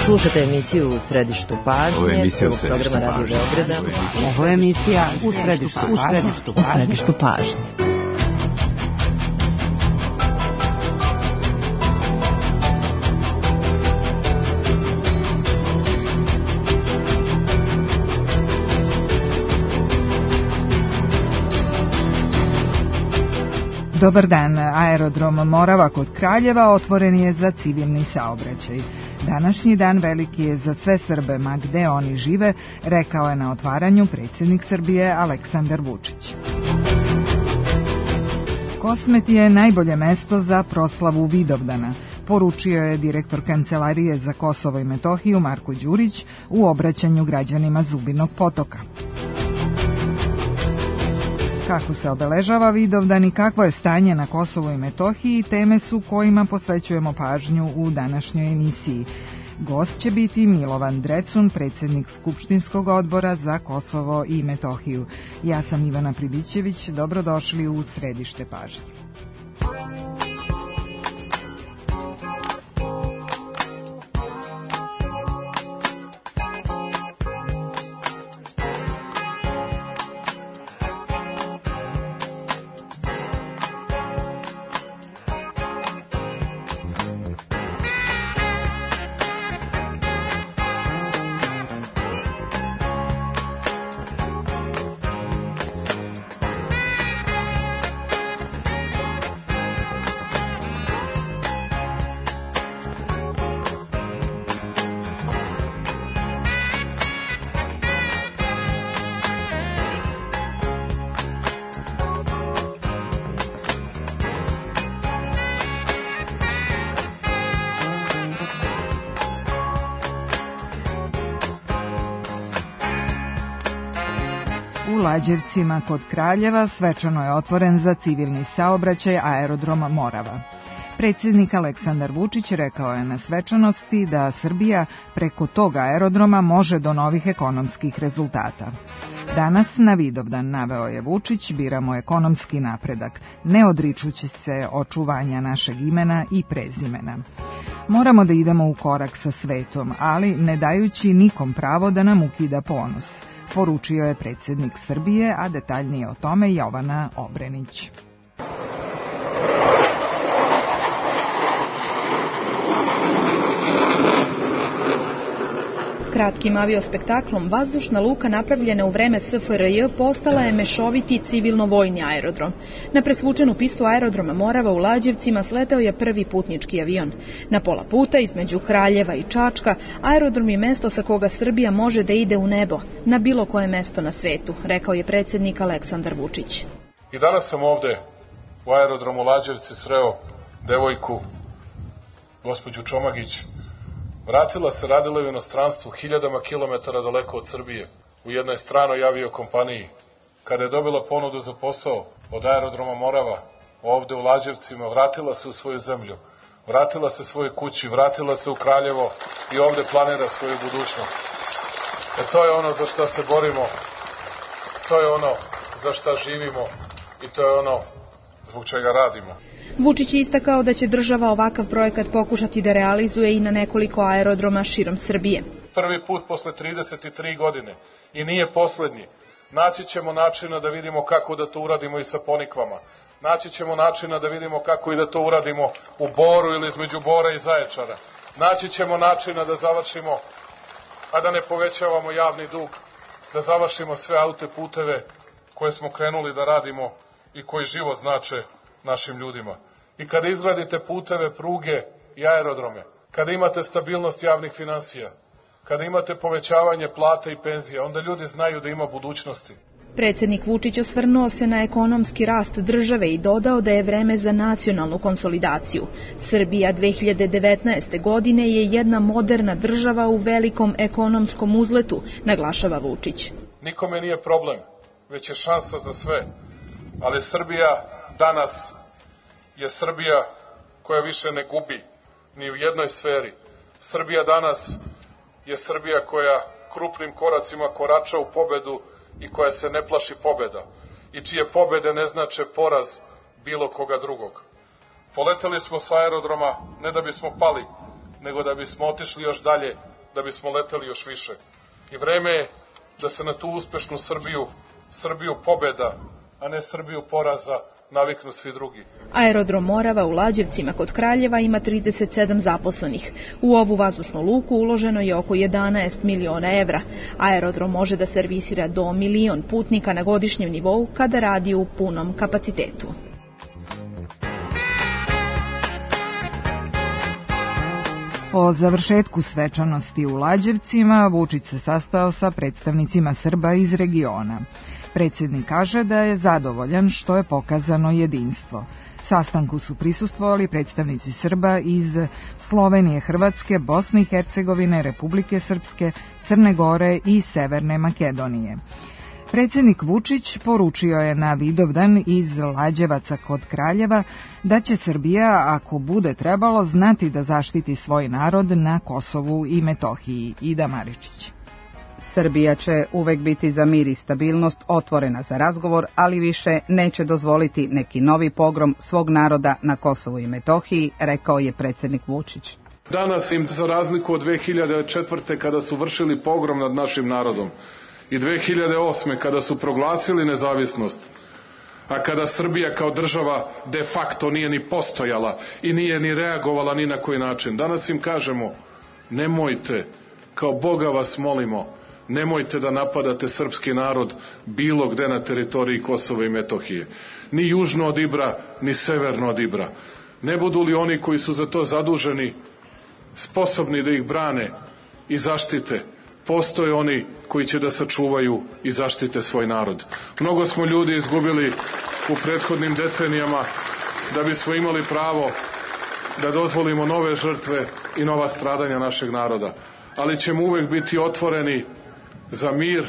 Slušate emisiju U središtu pažnje, prvog programa Radio Beograda. Ovo je emisija U središtu pažnje. Dobar dan, aerodrom Morava kod Kraljeva otvoren je za civilni saobraćaj. Današnji dan veliki je za sve Srbe, ma gde oni žive, rekao je na otvaranju predsjednik Srbije Aleksandar Vučić. Kosmet je najbolje mesto za proslavu Vidovdana, poručio je direktor Kancelarije za Kosovo i Metohiju Marko Đurić u obraćanju građanima Zubinog Potoka. Kako se obeležava Vidovdan i kakvo je stanje na Kosovu i Metohiji, teme su kojima posvećujemo pažnju u današnjoj emisiji. Gost će biti Milovan Drecun, predsjednik Skupštinskog odbora za Kosovo i Metohiju. Ja sam Ivana Pribićević, dobrodošli u središte pažnje. U Lađevcima kod Kraljeva svečano je otvoren za civilni saobraćaj aerodrom Morava. Predsjednik Aleksandar Vučić rekao je na svečanosti da Srbija preko tog aerodroma može do novih ekonomskih rezultata. Danas na Vidovdan, naveo je Vučić, biramo ekonomski napredak, ne odričući se očuvanja našeg imena i prezimena. Moramo da idemo u korak sa svetom, ali ne dajući nikom pravo da nam ukida ponos, poručio je predsjednik Srbije, a detaljnije o tome Jovana Obrenić. Kratkim aviospektaklom vazdušna luka napravljena u vreme SFRJ postala je mešoviti civilno-vojni aerodrom. Na presvučenu pistu aerodroma Morava u Lađevcima sleteo je prvi putnički avion. Na pola puta između Kraljeva i Čačka aerodrom je mesto sa koga Srbija može da ide u nebo, na bilo koje mesto na svetu, rekao je predsjednik Aleksandar Vučić. I danas sam ovde u aerodromu Lađevci sreo devojku, gospođu Čomagić. Vratila se, radila u inostranstvu, hiljadama kilometara daleko od Srbije, u jednoj stranoj aviokompaniji. Kada je dobila ponudu za posao od aerodroma Morava, ovde u Lađevcima, vratila se u svoju zemlju, vratila se svojoj kući, vratila se u Kraljevo i ovde planira svoju budućnost. To je ono za šta se borimo, to je ono za šta živimo i to je ono zbog čega radimo. Vučić je istakao da će država ovakav projekat pokušati da realizuje i na nekoliko aerodroma širom Srbije. Prvi put posle 33 godine i nije poslednji. Naći ćemo načina da vidimo kako da to uradimo i sa Ponikvama. Naći ćemo načina da vidimo kako i da to uradimo u Boru ili između Bora i Zaječara. Naći ćemo načina da završimo, a da ne povećavamo javni dug, da završimo sve autoputeve koje smo krenuli da radimo i koji život znače našim ljudima. I kada izgradite puteve, pruge i aerodrome, kada imate stabilnost javnih finansija, kada imate povećavanje plata i penzija, onda ljudi znaju da ima budućnosti. Predsjednik Vučić osvrnuo se na ekonomski rast države i dodao da je vreme za nacionalnu konsolidaciju. Srbija 2019. godine je jedna moderna država u velikom ekonomskom uzletu, naglašava Vučić. Nikome nije problem, već je šansa za sve, ali Srbija danas je Srbija koja više ne gubi ni u jednoj sferi. Srbija danas je Srbija koja krupnim koracima korača u pobedu i koja se ne plaši pobeda i čije pobede ne znače poraz bilo koga drugog. Poleteli smo sa aerodroma ne da bismo pali, nego da bismo otišli još dalje da bismo leteli još više. I vreme je da se na tu uspešnu Srbiju pobeda, a ne Srbiju poraza, naviknu svi drugi. Aerodrom Morava u Lađevcima kod Kraljeva ima 37 zaposlenih. U ovu vazdušnu luku uloženo je oko 11 miliona evra. Aerodrom može da servisira do 1 milion putnika na godišnjem nivou kada radi u punom kapacitetu. Po završetku svečanosti u Lađevcima, Vučić se sastao sa predstavnicima Srba iz regiona. Predsjednik kaže da je zadovoljan što je pokazano jedinstvo. Sastanku su prisustvovali predstavnici Srba iz Slovenije, Hrvatske, Bosne i Hercegovine, Republike Srpske, Crne Gore i Severne Makedonije. Predsjednik Vučić poručio je na Vidovdan iz Lađevaca kod Kraljeva da će Srbija, ako bude trebalo, znati da zaštiti svoj narod na Kosovu i Metohiji. Ida Maričić. Srbija će uvek biti za mir i stabilnost, otvorena za razgovor, ali više neće dozvoliti neki novi pogrom svog naroda na Kosovu i Metohiji, rekao je predsjednik Vučić. Danas im, za razliku od 2004. kada su vršili pogrom nad našim narodom, i 2008. kada su proglasili nezavisnost, a kada Srbija kao država de facto nije ni postojala i nije ni reagovala ni na koji način. Danas im kažemo, nemojte, kao Boga vas molimo, nemojte da napadate srpski narod bilo gde na teritoriji Kosova i Metohije. Ni južno od Ibra, ni severno od Ibra. Ne budu li oni koji su za to zaduženi sposobni da ih brane i zaštite, postoje oni koji će da sačuvaju i zaštite svoj narod. Mnogo smo ljudi izgubili u prethodnim decenijama da bismo imali pravo da dozvolimo nove žrtve i nova stradanja našeg naroda. Ali ćemo uvek biti otvoreni za mir,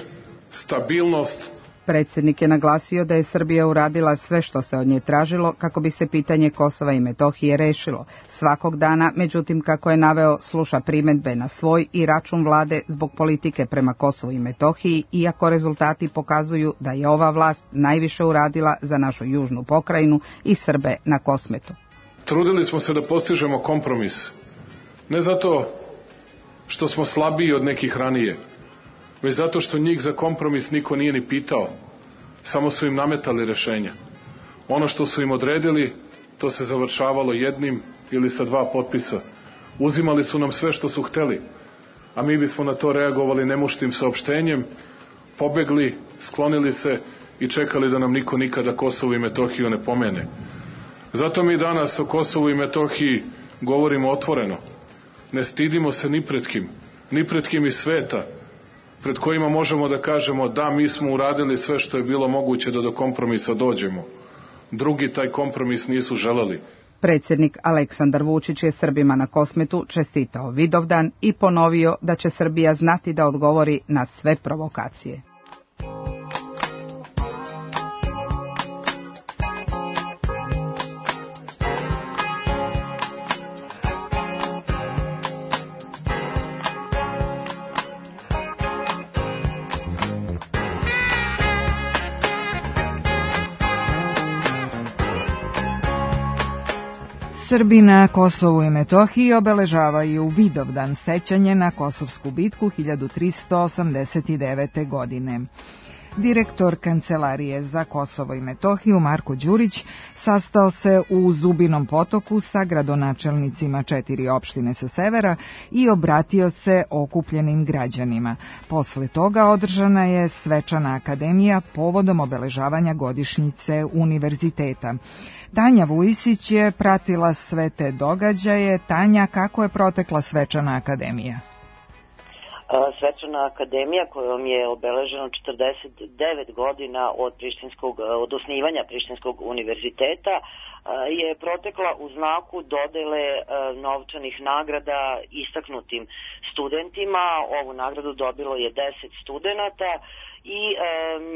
stabilnost. Predsjednik je naglasio da je Srbija uradila sve što se od nje tražilo kako bi se pitanje Kosova i Metohije rešilo. Svakog dana, međutim, kako je naveo, sluša primedbe na svoj i račun vlade zbog politike prema Kosovu i Metohiji, iako rezultati pokazuju da je ova vlast najviše uradila za našu južnu pokrajinu i Srbe na Kosmetu. Trudili smo se da postižemo kompromis. Ne zato što smo slabiji od nekih ranije, već zato što njih za kompromis niko nije ni pitao. Samo su im nametali rešenja. Ono što su im odredili, to se završavalo jednim ili sa 2 potpisa. Uzimali su nam sve što su hteli, a mi bismo na to reagovali nemuštim saopštenjem, pobegli, sklonili se i čekali da nam niko nikada Kosovo i Metohiju ne pomene. Zato mi danas o Kosovu i Metohiji govorimo otvoreno. Ne stidimo se ni pred kim iz sveta, pred kojima možemo da kažemo da mi smo uradili sve što je bilo moguće da do kompromisa dođemo. Drugi taj kompromis nisu želeli. Predsjednik Aleksandar Vučić je Srbima na Kosmetu čestitao Vidovdan i ponovio da će Srbija znati da odgovori na sve provokacije. Srbi na Kosovu i Metohiji obeležavaju Vidovdan, sećanje na Kosovsku bitku 1389. godine. Direktor Kancelarije za Kosovo i Metohiju Marko Đurić sastao se u Zubinom Potoku sa gradonačelnicima 4 opštine sa severa i obratio se okupljenim građanima. Posle toga održana je svečana akademija povodom obeležavanja godišnjice univerziteta. Tanja Vujisić je pratila sve te događaje. Tanja, kako je protekla svečana akademija? Svečana akademija kojom je obeleženo 49 godina od osnivanja Prištinskog univerziteta je protekla u znaku dodele novčanih nagrada istaknutim studentima. Ovu nagradu dobilo je 10 studenata i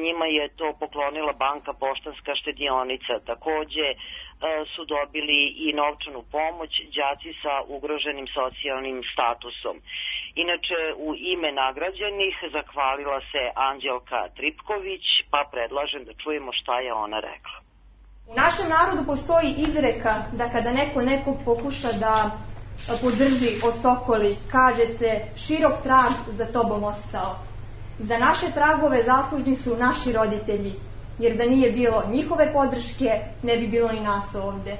njima je to poklonila Banka Poštanska štedionica. Takođe su dobili i novčanu pomoć đaci sa ugroženim socijalnim statusom. Inače, u ime nagrađenih zahvalila se Anđelka Tripković, pa predlažem da čujemo šta je ona rekla. U našem narodu postoji izreka da kada neko nekog pokuša da podrži, osokoli, kaže se, širok trag za tobom ostao. Za naše tragove zaslužni su naši roditelji, jer da nije bilo njihove podrške, ne bi bilo ni nas ovde.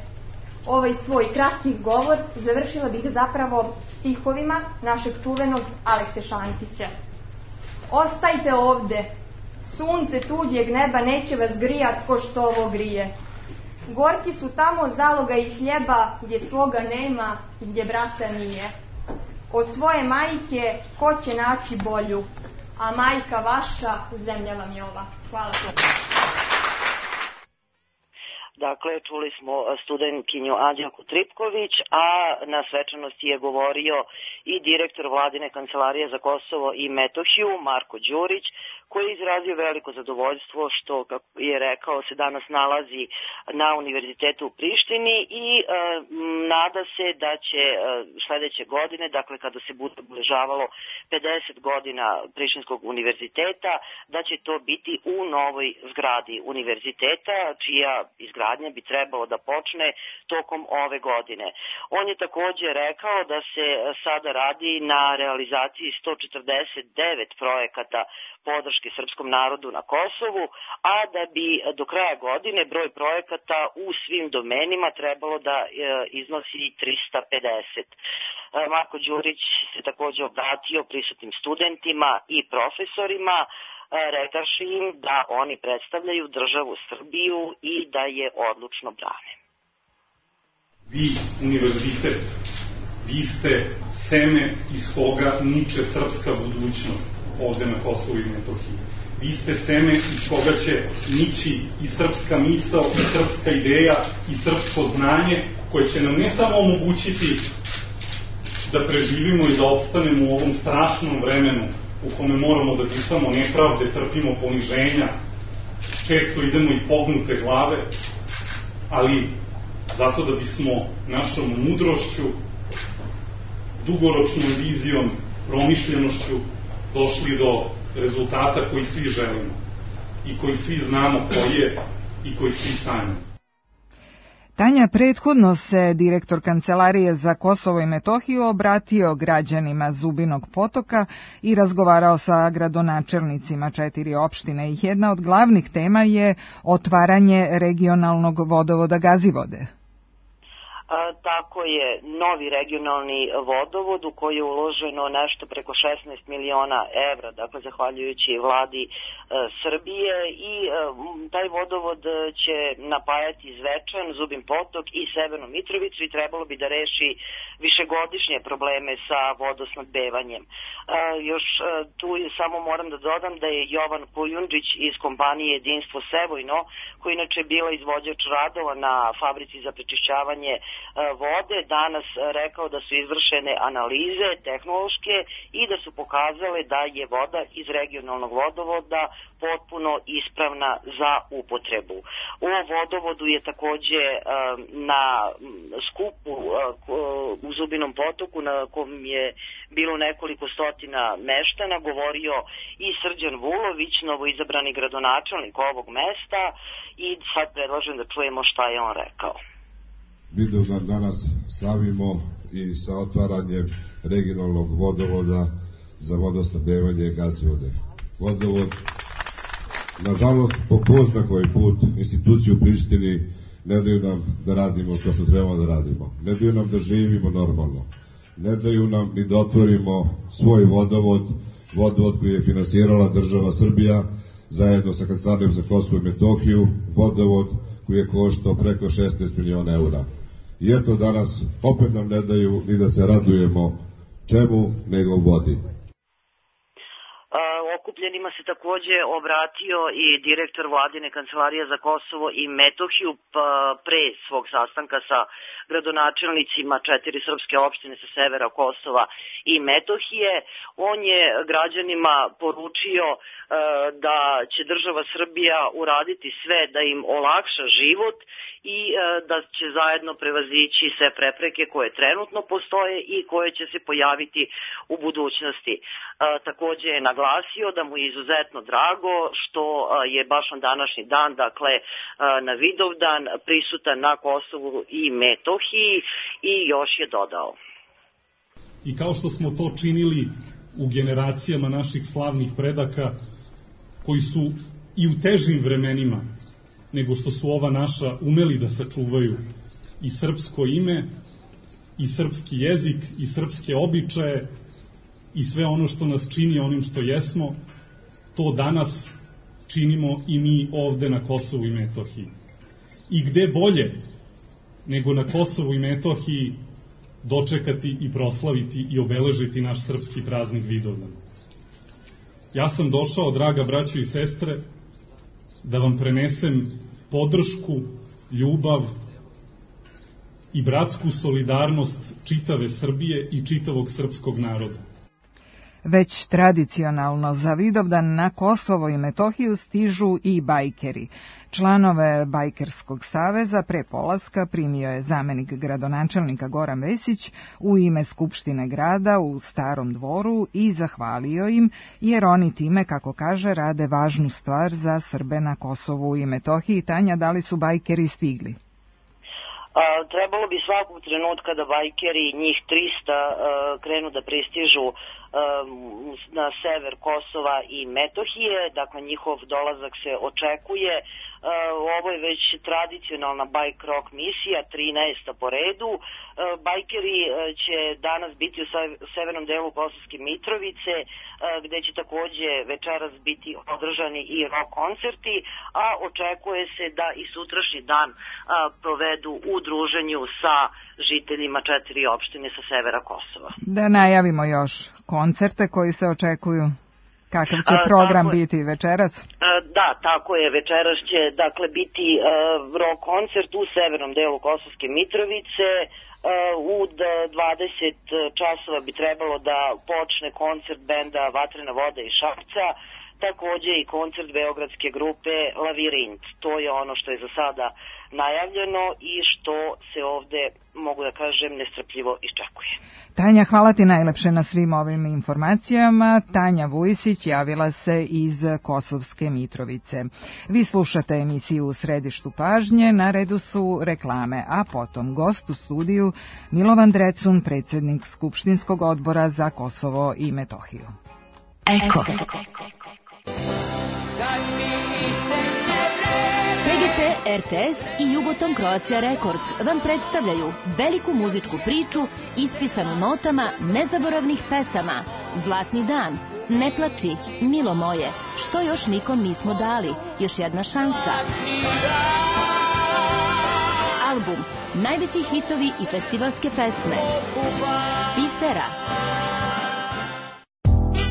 Ovaj svoj kratki govor završila bih zapravo stihovima našeg čuvenog Alekse Šantića. Ostajte ovde, sunce tuđeg neba neće vas grijat ko što ovo grije. Gorki su tamo zaloga i hljeba gdje svoga nema i gdje brata nije. Od svoje majke ko će naći bolju, a majka vaša zemlja vam je ova. Hvala. Dakle, čuli smo studentkinju Anđelku Tripković, a na svečanosti je govorio i direktor Vladine kancelarije za Kosovo i Metohiju, Marko Đurić, koji je izrazio veliko zadovoljstvo što, kako je rekao, se danas nalazi na Univerzitetu u Prištini i nada se da će sledeće godine, dakle kada se bude obeležavalo 50 godina Prištinskog univerziteta, da će to biti u novoj zgradi univerziteta, čija izgradnja bi trebalo da počne tokom ove godine. On je takođe rekao da se sada radi na realizaciji 149 projekata podrške srpskom narodu na Kosovu, a da bi do kraja godine broj projekata u svim domenima trebalo da iznosi 350. Marko Đurić se takođe obratio prisutnim studentima i profesorima, rekavši im da oni predstavljaju državu Srbiju i da je odlučno brane. Vi, univerzitet, vi ste seme iz koga niče srpska budućnost ovde na Kosovu i Metohiji. Vi ste seme iz koga će nići i srpska misao, i srpska ideja, i srpsko znanje, koje će nam ne samo omogućiti da preživimo i da opstanemo u ovom strašnom vremenu u kome moramo da disamo nepravde, trpimo poniženja, često idemo i pognute glave, ali zato da bismo našom mudrošću, dugoročnom vizijom, promišljenošću došli do rezultata koji svi želimo i koji svi znamo koji je i koji svi sanjamo. Tanja, prethodno se direktor Kancelarije za Kosovo i Metohiju obratio građanima Zubinog Potoka i razgovarao sa gradonačelnicima 4 opštine i jedna od glavnih tema je otvaranje regionalnog vodovoda Gazivode. Tako je, novi regionalni vodovod u koji je uloženo nešto preko 16 miliona evra, dakle zahvaljujući vladi Srbije, i taj vodovod će napajati Zvečan, Zubin Potok i Severnu Mitrovicu i trebalo bi da reši višegodišnje probleme sa vodosnabdevanjem. Još tu samo moram da dodam da je Jovan Kujundžić iz kompanije Jedinstvo Sevojno, koji inače bila izvođač radova na fabrici za prečišćavanje vode, danas rekao da su izvršene analize tehnološke i da su pokazale da je voda iz regionalnog vodovoda potpuno ispravna za upotrebu. U vodovodu je takođe na skupu u Zubinom Potoku, na kom je bilo nekoliko stotina meštana, govorio i Srđan Vulović, novoizabrani gradonačelnik ovog mesta, i sad predlažem da čujemo šta je on rekao. Vidovdan danas slavimo i sa otvaranjem regionalnog vodovoda za vodosnabdevanje Gazivode. Vodovod, nažalost, po ko zna koji put institucije u Prištini ne daju nam da radimo to što trebamo da radimo. Ne daju nam da živimo normalno. Ne daju nam ni da otvorimo svoj vodovod, vodovod koji je finansirala država Srbija zajedno sa Kancelarijom za Kosovo i Metohiju, vodovod koji je koštao preko 16 miliona eura. I eto danas opet nam ne daju ni da se radujemo čemu nego vodi. Okupljenima se takođe obratio i direktor Vladine kancelarije za Kosovo i Metohiju pre svog sastanka sa gradonačelnicima 4 srpske opštine sa severa Kosova i Metohije. On je građanima poručio da će država Srbija uraditi sve da im olakša život i da će zajedno prevazići sve prepreke koje trenutno postoje i koje će se pojaviti u budućnosti. Takođe je naglasio da mu je izuzetno drago što je baš on današnji dan, dakle na Vidovdan, prisutan na Kosovu i Metohiji, i još je dodao. I kao što smo to činili u generacijama naših slavnih predaka, koji su i u težim vremenima nego što su ova naša umeli da sačuvaju i srpsko ime, i srpski jezik, i srpske običaje, i sve ono što nas čini onim što jesmo, to danas činimo i mi ovde na Kosovu i Metohiji. I gde bolje nego na Kosovu i Metohiji dočekati i proslaviti i obeležiti naš srpski praznik Vidovdan. Ja sam došao, draga braćo i sestre, da vam prenesem podršku, ljubav i bratsku solidarnost čitave Srbije i čitavog srpskog naroda. Već tradicionalno za Vidovdan na Kosovo i Metohiju stižu i bajkeri. Članove Bajkerskog saveza pre polaska primio je zamenik gradonačelnika Goran Vesić u ime Skupštine grada u Starom dvoru i zahvalio im, jer oni time, kako kaže, rade važnu stvar za Srbe na Kosovu i Metohiji. Tanja, da li su bajkeri stigli? Trebalo bi svakog trenutka da bajkeri, njih 300, krenu da pristižu na sever Kosova i Metohije, dakle njihov dolazak se očekuje. Ovo je već tradicionalna bike rock misija, 13. po redu. Bajkeri će danas biti u severnom delu Kosovske Mitrovice, gde će takođe večeras biti održani i rock koncerti, a očekuje se da i sutrašnji dan provedu u druženju sa žiteljima 4 opštine sa severa Kosova. Da najavimo još koncerte koji se očekuju. Kakav će program biti večeras? Da, tako je. Večeras će dakle biti rock koncert u severnom delu Kosovske Mitrovice. U 20 časova bi trebalo da počne koncert benda Vatrena voda iz Šapca, takođe i koncert beogradske grupe Lavirint. To je ono što je za sada najavljeno i što se ovde, mogu da kažem, nestrpljivo iščekuje. Tanja, hvala ti najlepše na svim ovim informacijama. Tanja Vujsić javila se iz Kosovske Mitrovice. Vi slušate emisiju U središtu pažnje, na redu su reklame, a potom gost u studiju Milovan Drecun, predsjednik Skupštinskog odbora za Kosovo i Metohiju. Eko. PGP, RTS i Jugoton Croatia Records vam predstavljaju veliku muzičku priču ispisanu notama nezaboravnih pesama. Zlatni dan, Ne plači, Milo moje, Što još nikom nismo dali, Još jedna šansa. Album, najveći hitovi i festivalske pesme. Bisera.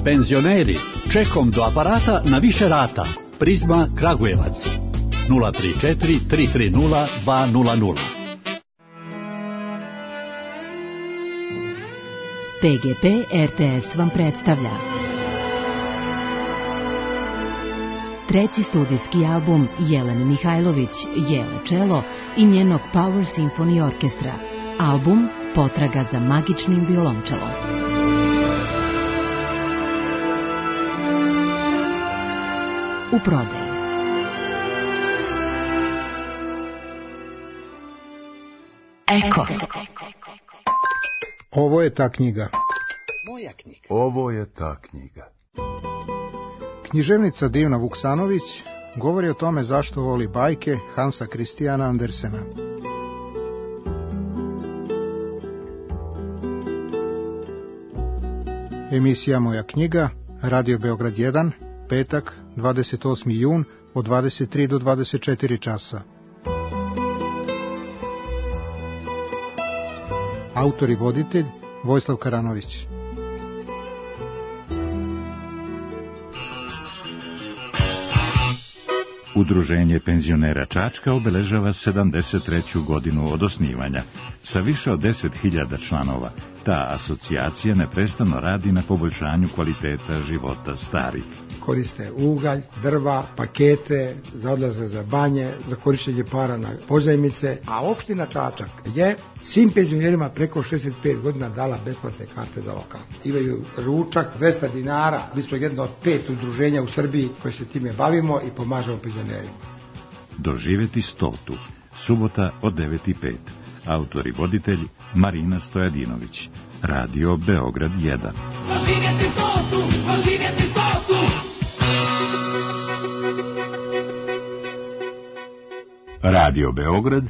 Penzioneri, čekom do aparata na više rata. Prizma Kragujevac. 034 330 200. PGP RTS vam predstavlja treći studijski album Jelene Mihajlović, Jele čelo i njenog Power Symphony Orkestra. Album Potraga za magičnim violončelom. U prodaji. Eko. Ovo je ta knjiga. Moja knjiga. Ovo je ta knjiga. Književnica Divna Vuksanović govori o tome zašto voli bajke Hansa Christiana Andersena. Emisija Moja knjiga, Radio Beograd 1, petak, 28. jun, od 23 do 24 časa. Autor i voditelj Vojislav Karanović. Udruženje penzionera Čačka obeležava 73. godinu od osnivanja. Sa više od 10.000 članova, ta asocijacija neprestano radi na poboljšanju kvaliteta života starih. Koriste ugalj, drva, pakete, za odlazak za banje, za korištenje para na pozajmice, a opština Čačak je svim penzionerima preko 65 godina dala besplatne karte za lokal. Imaju ručak 200 dinara, mi smo jedno od 5 udruženja u Srbiji koje se time bavimo i pomažemo penzionerima. Doživeti 100. Subota od 9:05. autor i voditelj Marina Stojadinović. Radio Beograd 1. Radio Beograd,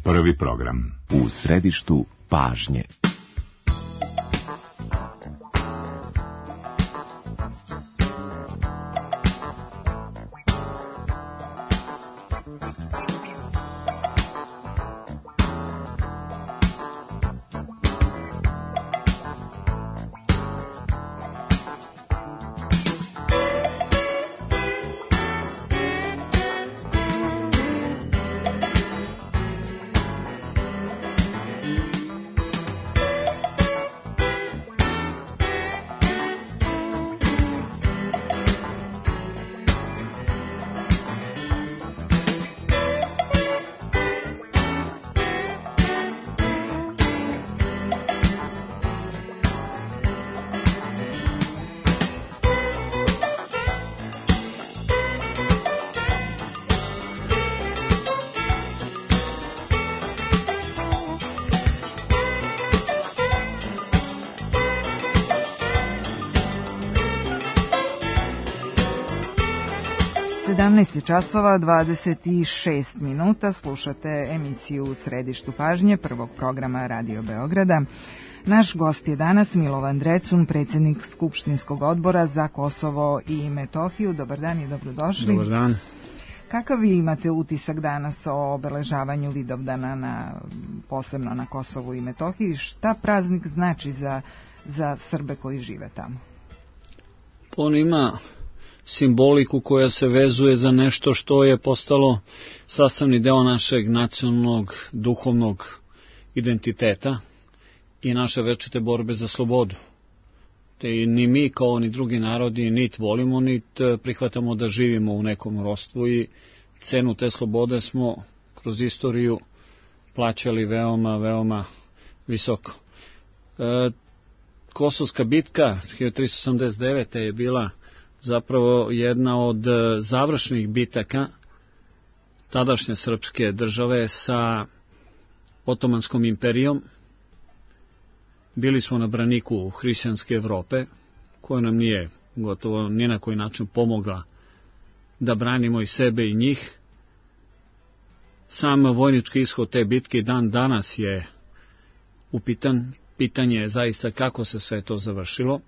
prvi program. U središtu pažnje. Časova 26 minuta, slušate emisiju U središtu pažnje prvog programa Radio Beograda. Naš gost je danas Milovan Drecun, predsjednik Skupštinskog odbora za Kosovo i Metohiju. Dobar dan i dobrodošli. Dobar dan. Kakav vi imate utisak danas o obeležavanju Vidovdana posebno na Kosovu i Metohiji? Šta praznik znači za Srbe koji žive tamo? On ima simboliku koja se vezuje za nešto što je postalo sastavni deo našeg nacionalnog, duhovnog identiteta i naše večite borbe za slobodu. Te ni mi kao ni drugi narodi nit volimo, nit prihvatamo da živimo u nekom ropstvu i cenu te slobode smo kroz istoriju plaćali veoma, veoma visoko. Kosovska bitka 1389. je bila zapravo jedna od završnih bitaka tadašnje srpske države sa Otomanskom imperijom. Bili smo na braniku hrišćanske Evrope, koja nam nije gotovo ni na koji način pomogla da branimo i sebe i njih. Sam vojnički ishod te bitke i dan danas je upitan. Pitanje je zaista kako se sve to završilo,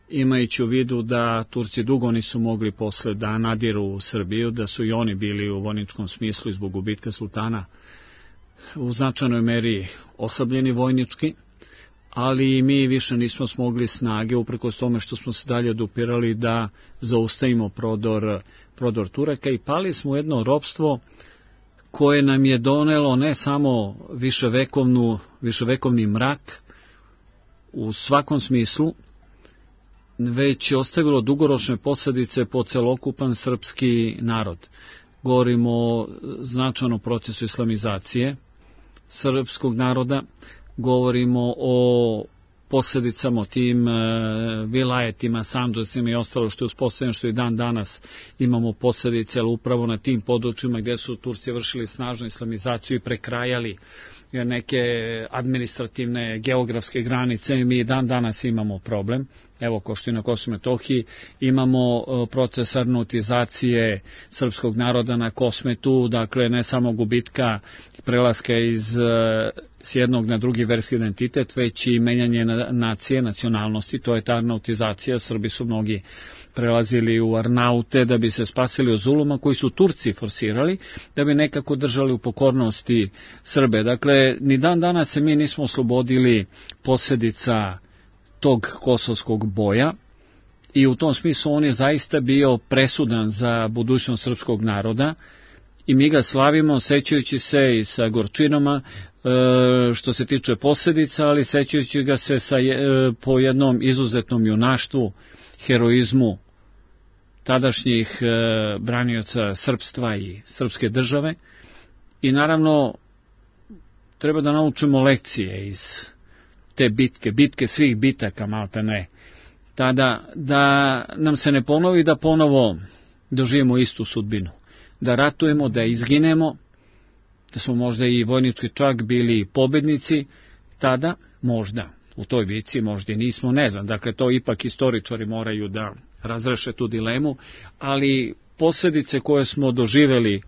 imajući u vidu da Turci dugo nisu mogli posle da nadiru u Srbiju, da su i oni bili u vojničkom smislu zbog gubitka sultana u značajnoj meri oslabljeni vojnički, ali mi više nismo smogli snage, uprkos tome što smo se dalje odupirali, da zaustavimo prodor Turaka i pali smo u jedno ropstvo koje nam je donelo ne samo viševekovni mrak u svakom smislu, već je ostavilo dugoročne posljedice po celokupan srpski narod. Govorimo o značajnom procesu islamizacije srpskog naroda, govorimo o posljedicama, o tim vilajetima, sandžacima i ostalo što je uspostavljeno, što i dan danas imamo posljedice, ali upravo na tim područjima gdje su Turci vršili snažnu islamizaciju i prekrajali neke administrativne geografske granice, mi i dan danas imamo problem. Evo, ko što i na Kosovu i Metohiji, imamo proces arnautizacije srpskog naroda na Kosmetu, dakle ne samo gubitka prelaska s jednog na drugi verski identitet, već i menjanje nacije, nacionalnosti, to je ta arnautizacija. Srbi su mnogi prelazili u Arnaute da bi se spasili od zuluma koji su Turci forsirali, da bi nekako držali u pokornosti Srbe. Dakle, ni dan danas se mi nismo oslobodili posljedica tog kosovskog boja i u tom smislu on je zaista bio presudan za budućnost srpskog naroda i mi ga slavimo sećajući se i sa gorčinama što se tiče posljedica, ali sećajući ga se po jednom izuzetnom junaštvu, heroizmu tadašnjih branioca srpstva i srpske države. I naravno treba da naučimo lekcije iz te bitke svih bitaka, malte ne, tada da nam se ne ponovi da ponovo doživimo istu sudbinu, da ratujemo, da izginemo da smo možda i vojnički čak bili pobednici tada, možda u toj bici, možda i nismo, ne znam, dakle to ipak istoričari moraju da razreše tu dilemu, ali posljedice koje smo doživeli,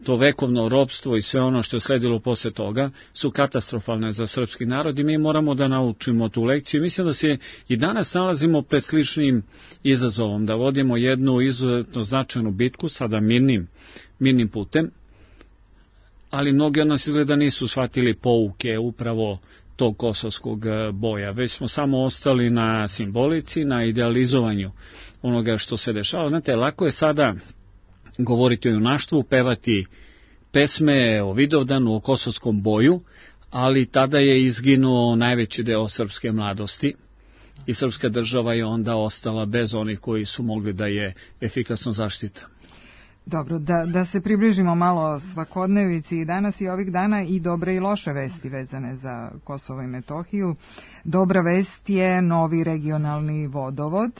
to vekovno ropstvo i sve ono što je sledilo posle toga, su katastrofalne za srpski narod i mi moramo da naučimo tu lekciju. Mislim da se i danas nalazimo pred sličnim izazovom, da vodimo jednu izuzetno značajnu bitku, sada mirnim putem, ali mnogi od nas izgleda nisu shvatili pouke upravo tog kosovskog boja, već smo samo ostali na simbolici, na idealizovanju onoga što se dešava. Znate, lako je sada govoriti o junaštvu, pevati pesme o Vidovdanu, o kosovskom boju, ali tada je izginuo najveći deo srpske mladosti i srpska država je onda ostala bez onih koji su mogli da je efikasno zaštita. Dobro, da se približimo malo svakodnevici i danas i ovih dana i dobre i loše vesti vezane za Kosovo i Metohiju. Dobra vest je novi regionalni vodovod,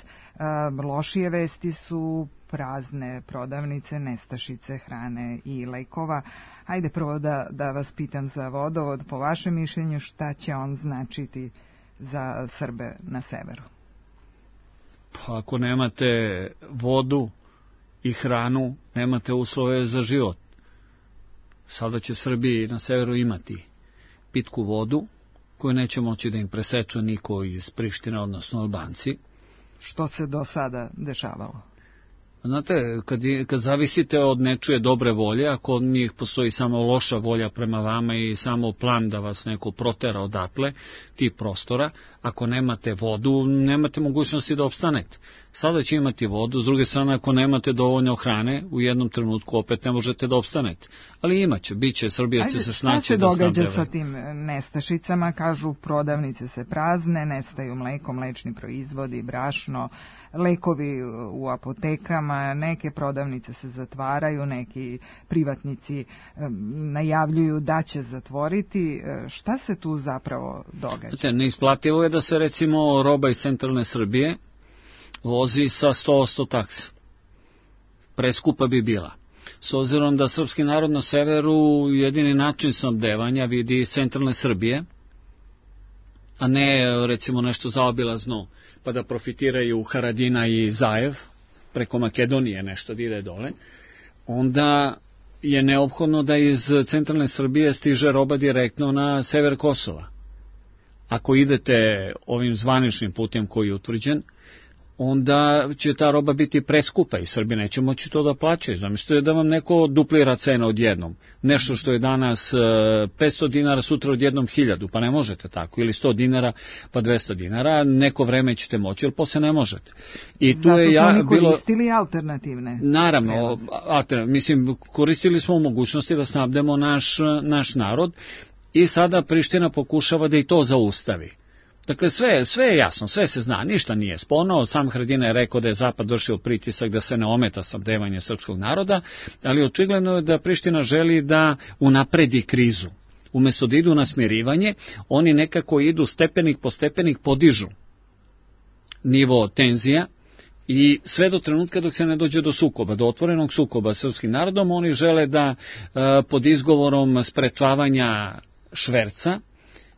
lošije vesti su prazne prodavnice, nestašice hrane i lekova. Hajde prvo da vas pitam za vodovod, po vašem mišljenju šta će on značiti za Srbe na severu? Pa ako nemate vodu i hranu, nemate uslove za život. Sada će Srbi na severu imati pitku vodu, koju neće moći da im preseče niko iz Prištine, odnosno Albanci. Što se do sada dešavalo? Znate, kad zavisite od nečije dobre volje, ako od njih postoji samo loša volja prema vama i samo plan da vas neko protera odatle, tih prostora, ako nemate vodu, nemate mogućnosti da opstanete. Sada će imati vodu, s druge strane, ako nemate dovoljno hrane, u jednom trenutku opet ne možete da opstanete. Ali imaće, bit će, Srbija će se snaći da snabdeva. Šta se događa sa tim nestašicama? Kažu, prodavnice se prazne, nestaju mleko, mlečni proizvodi, brašno, lekovi u apotekama, neke prodavnice se zatvaraju, neki privatnici najavljuju da će zatvoriti. Šta se tu zapravo događa? Neisplativo je da se recimo roba iz centralne Srbije vozi sa 100% taksa. Preskupa bi bila. S obzirom da srpski narod na severu jedini način snabdevanja vidi iz centralne Srbije, a ne recimo nešto zaobilazno pa da profitiraju Haradina i Zajev, preko Makedonije nešto da ide dole, onda je neophodno da iz centralne Srbije stiže roba direktno na sever Kosova. Ako idete ovim zvaničnim putem koji je utvrđen, onda će ta roba biti preskupa i Srbi neće moći to da plaćaju. Zamislite da vam neko duplira cenu odjednom. Nešto što je danas 500 dinara, sutra odjednom 1000, pa ne možete tako. Ili 100 dinara, pa 200 dinara. Neko vreme ćete moći, ali posle ne možete. I tu zato je su oni koristili alternativne. Naravno, mislim, koristili smo mogućnosti da snabdemo naš narod i sada Priština pokušava da i to zaustavi. Dakle, sve je jasno, sve se zna, ništa nije sporno. Sam Haradina je rekao da je Zapad vršio pritisak da se ne ometa snabdevanje srpskog naroda, ali očigledno je da Priština želi da unapredi krizu. Umesto da idu na smirivanje, oni nekako idu stepenik po stepenik, podižu nivo tenzija i sve do trenutka dok se ne dođe do sukoba, do otvorenog sukoba s srpskim narodom, oni žele da pod izgovorom sprečavanja šverca,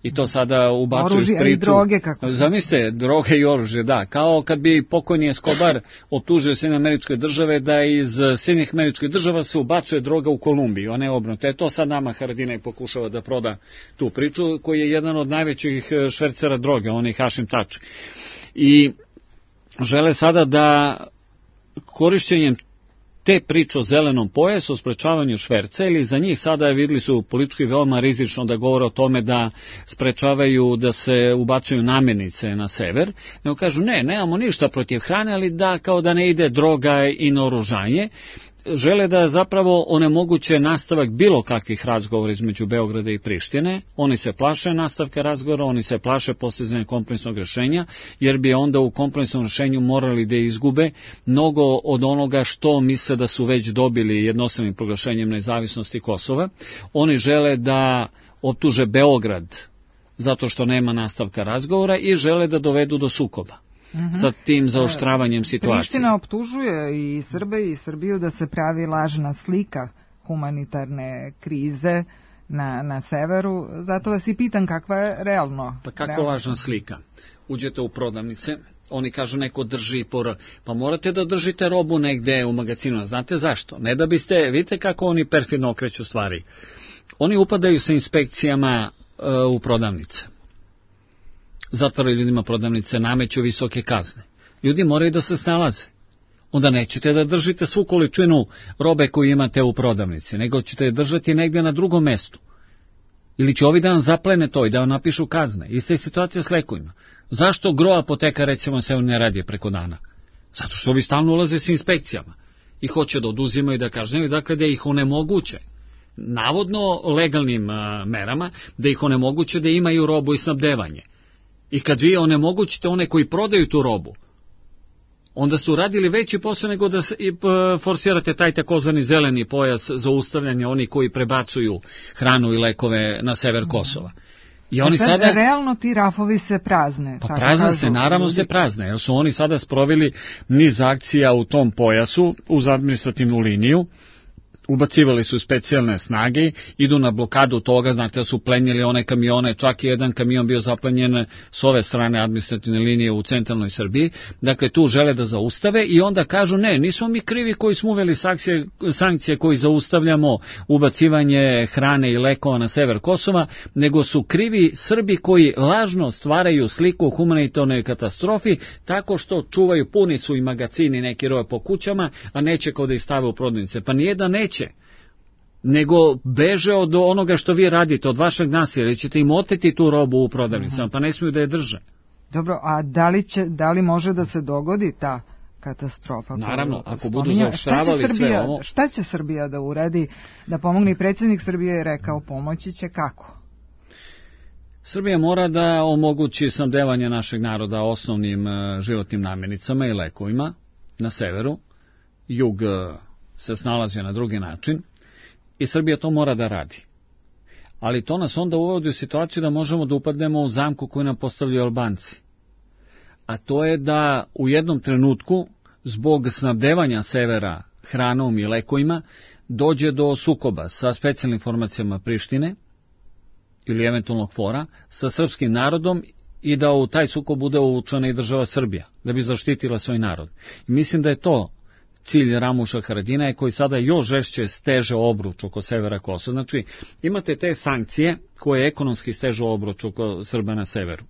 i to sada ubacuju oružje priču. I droge, kako? Zamislite, droge i oružje, da. Kao kad bi pokojni Escobar optužio Sjedinjene Američke Države da iz Sjedinjenih Američkih Država se ubacuje droga u Kolumbiju, a ne obrnuto. To sad nama Haradinaj pokušava da proda tu priču, koji je jedan od najvećih švercera droge, on je Hašim Tači. I žele sada da korišćenjem te priče o zelenom pojasu, o sprečavanju šverca, ili za njih sada vidjeli su politički veoma rizično da govore o tome da sprečavaju da se ubacuju namirnice na sever, nego kažu nemamo ništa protiv hrane, ali da kao da ne ide droga i naoružanje. Žele da zapravo onemoguće nastavak bilo kakvih razgovora između Beograda i Prištine. Oni se plaše nastavka razgovora, oni se plaše postizanja kompromisnog rješenja, jer bi onda u kompromisnom rješenju morali da izgube mnogo od onoga što misle da su već dobili jednostavnim proglašenjem nezavisnosti Kosova. Oni žele da optuže Beograd zato što nema nastavka razgovora i žele da dovedu do sukoba. Sa tim zaoštravanjem situacije. Priština optužuje i Srbe i Srbiju da se pravi lažna slika humanitarne krize na severu. Zato vas i pitam kakva je realno. Pa kakva lažna slika? Uđete u prodavnice, oni kažu neko drži pa morate da držite robu negde u magazinu. Znate zašto? Ne da biste, vidite kako oni perfidno okreću stvari. Oni upadaju sa inspekcijama u prodavnice. Zatvaraju ljudima prodavnice, nameću visoke kazne. Ljudi moraju da se snalaze. Onda nećete da držite svu količinu robe koju imate u prodavnici, nego ćete je držati negde na drugom mestu. Ili će ovi dan zaplene to i da vam napišu kazne. Ista je situacija s lekovima. Zašto gro apoteka recimo se ne radi preko dana? Zato što ovi stalno ulaze s inspekcijama i hoće da oduzimaju i da kažnjaju, dakle da ih onemoguće, navodno legalnim merama, da ih onemoguće da imaju robu i snabdevanje. I kad vi onemogućite one koji prodaju tu robu, onda su radili veći posao nego da forsirate taj takozvani zeleni pojas za ustavljanje oni koji prebacuju hranu i lekove na sever Kosova. I oni sada realno ti rafovi se prazne. Pa prazne se, naravno se prazne, jer su oni sada sproveli niz akcija u tom pojasu uz administrativnu liniju. Ubacivali su specijalne snage, idu na blokadu toga, znate da su plenjili one kamione, čak i jedan kamion bio zaplenjen s ove strane administrativne linije u centralnoj Srbiji, dakle tu žele da zaustave i onda kažu ne, nismo mi krivi koji smo uveli sankcije koji zaustavljamo ubacivanje hrane i lekova na sever Kosova, nego su krivi Srbi koji lažno stvaraju sliku o humanitarnoj katastrofi tako što čuvaju, puni su i magacini neki roje po kućama, a neće kao da ih stave u prodavnice. Pa nije da neće, nego beže od onoga što vi radite, od vašeg nasilja, jer ćete im oteti tu robu u prodavnicama, pa ne smiju da je drže. Dobro, a da li može da se dogodi ta katastrofa? Naravno, ako budu zaoštravali sve ovo. Šta će Srbija da uradi, da pomogne? I predsjednik Srbije je rekao pomoći će kako? Srbija mora da omogući snabdevanje našeg naroda osnovnim životnim namirnicama i lekovima na severu. Jug se snalazi na drugi način i Srbija to mora da radi. Ali to nas onda uvodi u situaciju da možemo da upadnemo u zamku koju nam postavljaju Albanci. A to je da u jednom trenutku, zbog snabdevanja severa hranom i lekovima, dođe do sukoba sa specijalnim formacijama Prištine ili eventualnog KFOR-a sa srpskim narodom i da u taj sukob bude uvučena i država Srbija, da bi zaštitila svoj narod. I mislim da je to cilj Ramuša Haradinaja koji sada još žešće steže obruč oko severa Kosova. Znači, imate te sankcije koje ekonomski stežu obruč oko Srba na severu.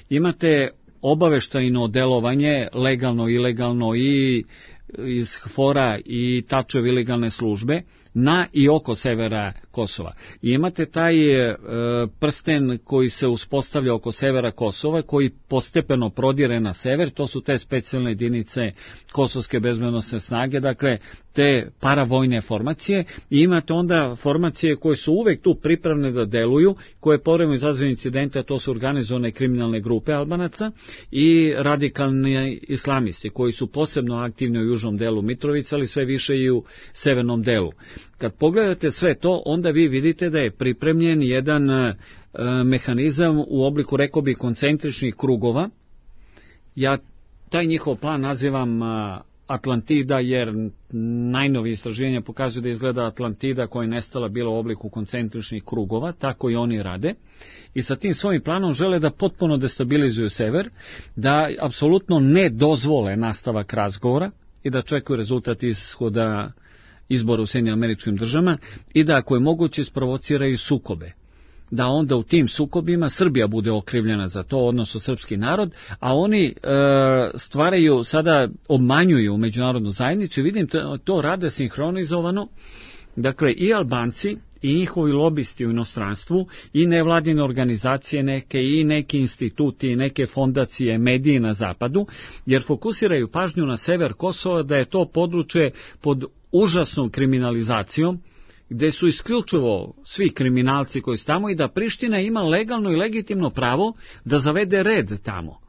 Imate obaveštajno delovanje, legalno, ilegalno i iz KFOR-a i Tačeve ilegalne službe na i oko severa Kosova. I imate taj prsten koji se uspostavlja oko severa Kosova, koji postepeno prodire na sever, to su te specijalne jedinice Kosovske bezbednosne snage, dakle te paravojne formacije, i imate onda formacije koje su uvek tu pripravne da deluju, koje povremeno izazivaju incidente, a to su organizovane kriminalne grupe Albanaca i radikalni islamisti, koji su posebno aktivni u južnom delu Mitrovice, ali sve više i u severnom delu. Kad pogledate sve to, onda vi vidite da je pripremljen jedan mehanizam u obliku, rekao bi, koncentričnih krugova. Ja taj njihov plan nazivam Atlantida, jer najnovije istraživanja pokazuju da izgleda Atlantida koja je nestala bila u obliku koncentričnih krugova, tako i oni rade. I sa tim svojim planom žele da potpuno destabilizuju sever, da apsolutno ne dozvole nastavak razgovora i da čekaju rezultat ishoda izbora u Sjedinjenim Američkim Državama i da ako je moguće isprovociraju sukobe. Da onda u tim sukobima Srbija bude okrivljena za to, odnosno srpski narod, a oni stvaraju, sada obmanjuju međunarodnu zajednicu i vidim to rade sinhronizovano. Dakle, i Albanci i njihovi lobisti u inostranstvu i nevladine organizacije neke i neki instituti i neke fondacije, mediji na zapadu, jer fokusiraju pažnju na sever Kosova, da je to područje pod užasnom kriminalizacijom, gde su isključivo svi kriminalci koji su tamo i da Priština ima legalno i legitimno pravo da zavede red tamo.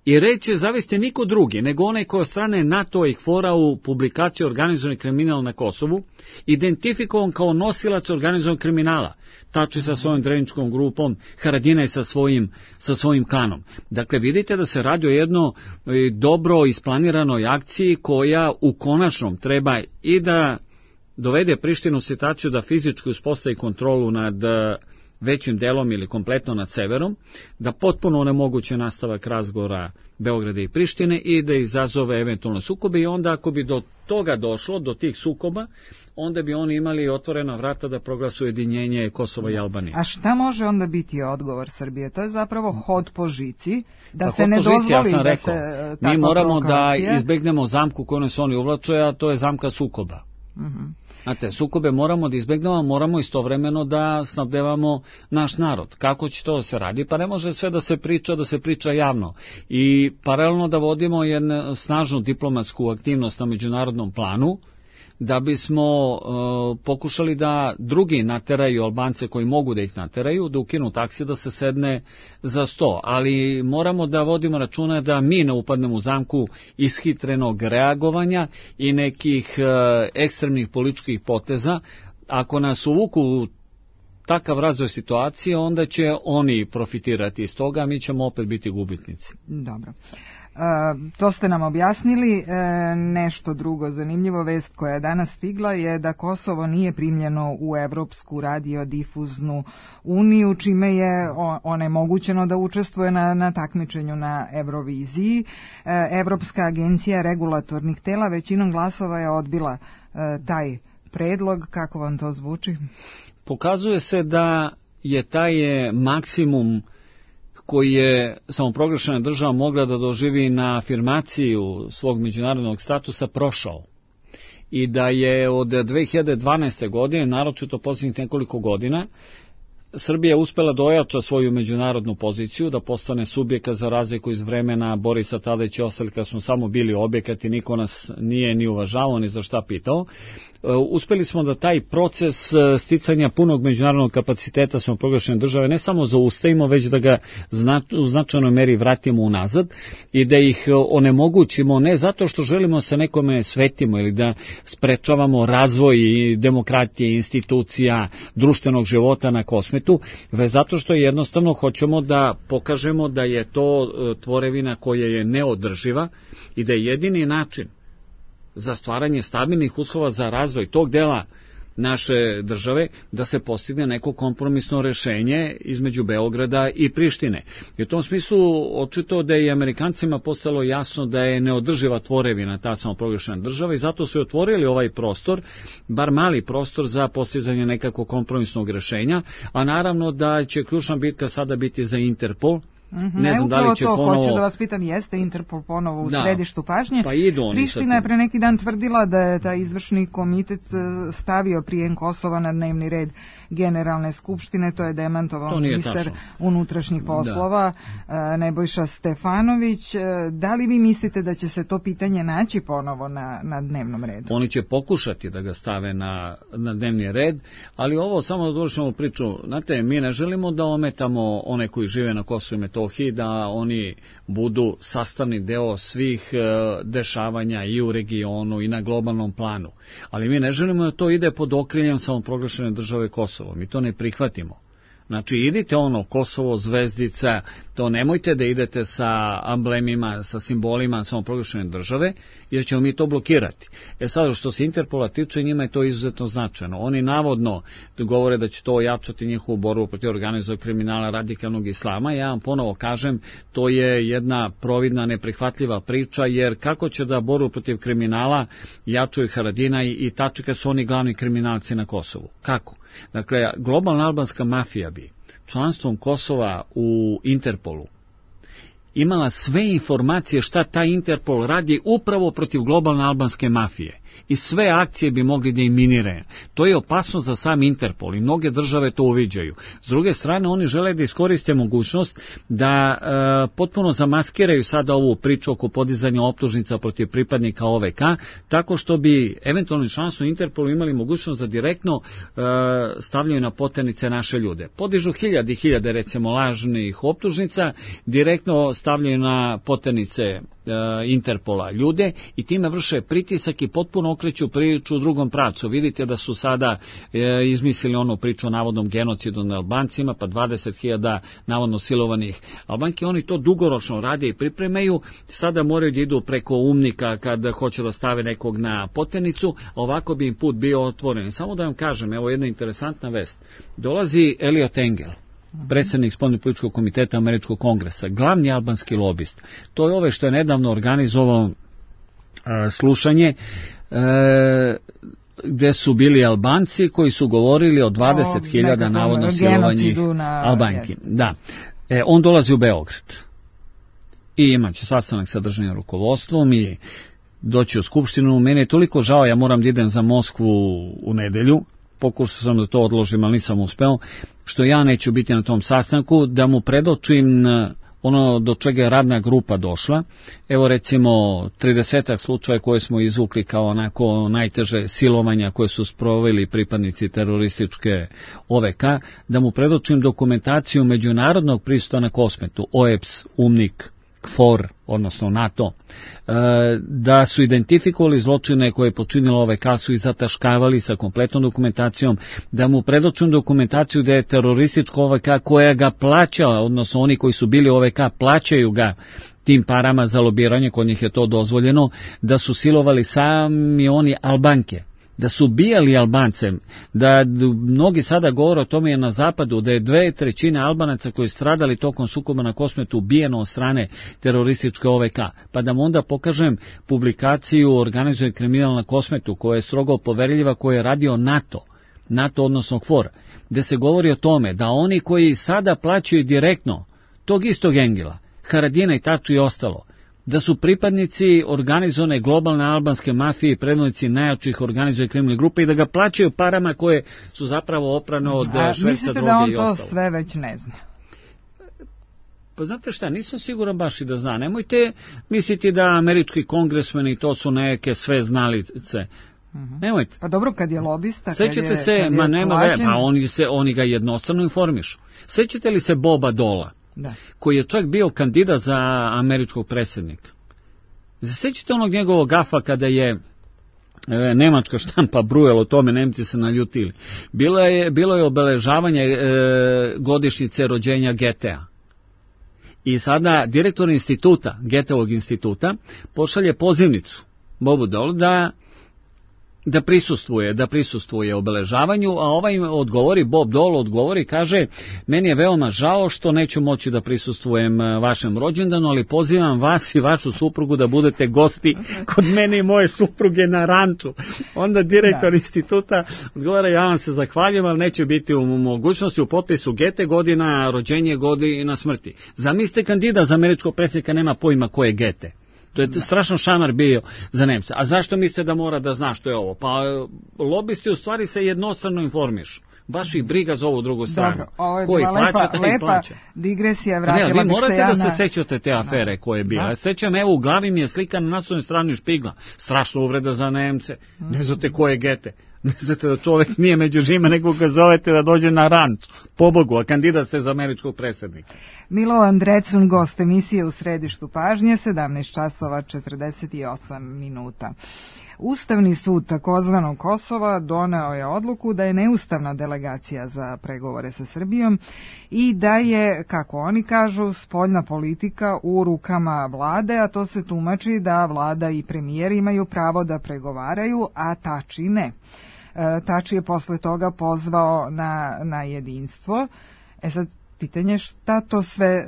I red će zavesti niko drugi, nego onaj koji od strane NATO i KFOR-a u publikaciji Organizovani kriminal na Kosovu, identifikovan kao nosilac organizovanog kriminala, Tači sa svojom dreničkom grupom, Haradinaj sa svojim klanom. Dakle, vidite da se radi o jedno dobro isplaniranoj akciji koja u konačnom treba i da dovede Prištinu u situaciju da fizički uspostavi kontrolu nad većim delom ili kompletno nad severom, da potpuno onemoguće nastavak razgovora Beograda i Prištine i da izazove eventualno sukobe, i onda ako bi do toga došlo, do tih sukoba, onda bi oni imali otvorena vrata da proglasu ujedinjenje Kosova i Albanije. A šta može onda biti odgovor Srbije? To je zapravo hod po žici, da pa se ne dozvoli ja sam da rekao, se mi moramo da izbegnemo zamku koju nas oni uvlače, a to je zamka sukoba. Znate, sukobe moramo da izbegnemo, moramo istovremeno da snabdevamo naš narod. Kako će to da se radi? Pa ne može sve da se priča javno. I paralelno da vodimo jednu snažnu diplomatsku aktivnost na međunarodnom planu, da bismo pokušali da drugi nateraju Albance koji mogu da ih nateraju, da ukinu taksi, da se sedne za sto. Ali moramo da vodimo računa da mi ne upadnemo u zamku ishitrenog reagovanja i nekih ekstremnih političkih poteza. Ako nas uvuku u takav razvoj situacije, onda će oni profitirati iz toga, a mi ćemo opet biti gubitnici. Dobro. To ste nam objasnili. Nešto drugo zanimljivo, vest koja je danas stigla je da Kosovo nije primljeno u Evropsku radiodifuznu uniju, čime je onemogućeno da učestvuje na takmičenju na Euroviziji. Evropska agencija regulatornih tela većinom glasova je odbila taj predlog. Kako vam to zvuči? Pokazuje se da je taj maksimum koji je samoproglašena država mogla da doživi na afirmaciju svog međunarodnog statusa prošao. I da je od 2012. godine, naročito posljednjih nekoliko godina, Srbija uspela da ojača svoju međunarodnu poziciju, da postane subjekat za razliku iz vremena Borisa Tadića i ostalih, kad smo samo bili objekat i niko nas nije ni uvažavao ni za šta pitao. Uspeli smo da taj proces sticanja punog međunarodnog kapaciteta samoproglašene države ne samo zaustavimo, već da ga u značajnoj meri vratimo unazad i da ih onemogućimo, ne zato što želimo se nekome svetimo ili da sprečavamo razvoj demokratije, institucija, društvenog života na kosmetu, već zato što jednostavno hoćemo da pokažemo da je to tvorevina koja je neodrživa i da je jedini način za stvaranje stabilnih uslova za razvoj tog dela naše države da se postigne neko kompromisno rešenje između Beograda i Prištine. I u tom smislu očito da je i Amerikancima postalo jasno da je neodrživa tvorevina ta samoproglašena država i zato su otvorili ovaj prostor, bar mali prostor za postizanje nekako kompromisnog rešenja, a naravno da će ključna bitka sada biti za Interpol. Ne znam da li će ponovo... Hoću da vas pitam, jeste Interpol ponovo u središtu pažnje? Pa idu oni. Priština je pre neki dan tvrdila da je taj izvršni komitet stavio prijem Kosova na dnevni red Generalne skupštine, to je demantovao ministar unutrašnjih poslova Nebojša Stefanović. Da li vi mislite da će se to pitanje naći ponovo na dnevnom redu? Oni će pokušati da ga stave na dnevni red, ali ovo samo da dovršimo priču. Znate, mi ne želimo da ometamo one koji žive na Kosovu i Metohiji, da oni budu sastavni deo svih dešavanja i u regionu i na globalnom planu. Ali mi ne želimo da to ide pod okriljem samoproglašene države Kosovo. Mi to ne prihvatimo. Znači, idite Kosovo, zvezdica, to nemojte da idete sa amblemima, sa simbolima samoproglašene države, jer ćemo mi to blokirati. Sad, što se Interpola tiče, njima je to izuzetno značajno. Oni navodno govore da će to ojačati njihovu borbu protiv organizovanog kriminala, radikalnog islama. Ja vam ponovo kažem, to je jedna providna, neprihvatljiva priča, jer kako će da borbu protiv kriminala jačaju Haradinaj i Tači kad su oni glavni kriminalci na Kosovu? Kako? Dakle, globalna albanska mafija bi članstvom Kosova u Interpolu imala sve informacije šta taj Interpol radi upravo protiv globalne albanske mafije. I sve akcije bi mogli da eliminiraju. To je opasno za sam Interpol i mnoge države to uviđaju. S druge strane, oni žele da iskoriste mogućnost da potpuno zamaskiraju sada ovu priču oko podizanja optužnica protiv pripadnika OVK, tako što bi eventualno članstvo Interpolu imali mogućnost da direktno stavljaju na poternice naše ljude. Podižu hiljade recimo lažnih optužnica, direktno stavljaju na poternice Interpola ljude i time vrše pritisak i potpuno okreću priču u drugom pravcu. Vidite da su sada izmislili onu priču o navodnom genocidu na Albancima, pa 20.000 navodno silovanih Albanki. Oni to dugoročno rade i pripremaju. Sada moraju da idu preko umnika kad hoće da stave nekog na potenicu, a ovako bi im put bio otvoren. Samo da vam kažem, evo jedna interesantna vest. Dolazi Eliot Engel, predsjednik spoljnopolitičkog komiteta Američkog kongresa, glavni albanski lobist. To je ove što je nedavno organizovao slušanje gde su bili Albanci koji su govorili o 20.000 navodno silovanih Albanki. Da. On dolazi u Beograd i imaće sastanak sa državnim rukovodstvom i doći u skupštinu. Meni je toliko žao, ja moram da idem za Moskvu u nedelju, pokušao sam da to odložim, ali nisam uspeo, što ja neću biti na tom sastanku, da mu predočim ono do čega je radna grupa došla. Evo recimo 30 slučaja koje smo izvukli kao onako najteže silovanja koje su sproveli pripadnici terorističke OVK, da mu predočim dokumentaciju međunarodnog prisustva na Kosmetu, OEBS, UNMIK, KFOR, odnosno NATO, da su identifikovali zločine koje je počinila OVK, su i zataškavali sa kompletnom dokumentacijom, da mu predočim dokumentaciju da je teroristička OVK koja ga plaća, odnosno oni koji su bili OVK plaćaju ga tim parama za lobiranje, kod njih je to dozvoljeno, da su silovali sami oni Albanke, da su ubijali Albance, da mnogi sada govore o tome na zapadu, da je 2/3 Albanaca koji stradali tokom sukoba na Kosmetu ubijeno od strane terorističke OVK. Pa da mu onda pokažem publikaciju Organizuje kriminal na Kosmetu, koja je strogo poverljiva, koja je radio NATO odnosno KFOR, gde se govori o tome da oni koji sada plaćaju direktno tog istog Engela, Haradina i Taču i ostalo, da su pripadnici organizovane globalne albanske mafije i predvodnici najjačih organizuje kriminalne grupe i da ga plaćaju parama koje su zapravo oprane od šverca droge i ostalo. Mislite da on to sve već ne zna? Pa znate šta, nisam siguran baš i da zna. Nemojte misliti da američki kongresmeni to su neke sve znalice. Nemojte. Pa dobro, kad je lobista, sećate se, oni ga jednostavno informišu. Sećate li se Boba Dola? Da. Koji je čak bio kandidat za američkog predsjednika. Sećate onog njegovog gafa kada je nemačka štampa brujala o tome, Nemci se naljutili. Bilo je obeležavanje godišnjice rođenja Getea. I sada direktor instituta, Geteovog instituta, pošalje pozivnicu Bobu Dolu da prisustvuje obeležavanju, a ovaj Bob Dole odgovori, kaže, meni je veoma žao što neću moći da prisustvujem vašem rođendanu, ali pozivam vas i vašu suprugu da budete gosti kod mene i moje supruge na ranču. Onda direktor instituta odgovara, ja vam se zahvaljujem, ali neće biti u mogućnosti, u potpisu Gete godina, rođenje godina smrti. Zamislite, kandidat za američkog predsjednika nema pojma ko je Gete. To je strašno šamar bio za Nemca. A zašto mislite da mora da zna što je ovo? Pa lobisti u stvari se jednostavno informišu. Baš ih briga za ovu drugu stranu. Dobro, ovo je lepa digresija, vratila bih se vi morate da se sećate te afere koje je bila. Sećam, evo u glavi mi je slika na naslovnoj strani Špigla. Strašna uvreda za Nemce. Ne znate ko je Gete. Ne znate da čovjek nije među žima, nego ga zovete da dođe na ranč. Pobogu, a kandidat ste za američkog predsjednika. Milovan Drecun, gost emisije U središtu pažnje, 17:48. Ustavni sud takozvanog Kosova doneo je odluku da je neustavna delegacija za pregovore sa Srbijom i da je, kako oni kažu, spoljna politika u rukama vlade, a to se tumači da vlada i premijer imaju pravo da pregovaraju, a Tači ne. Tači je posle toga pozvao na jedinstvo. Sad, pitanje šta to sve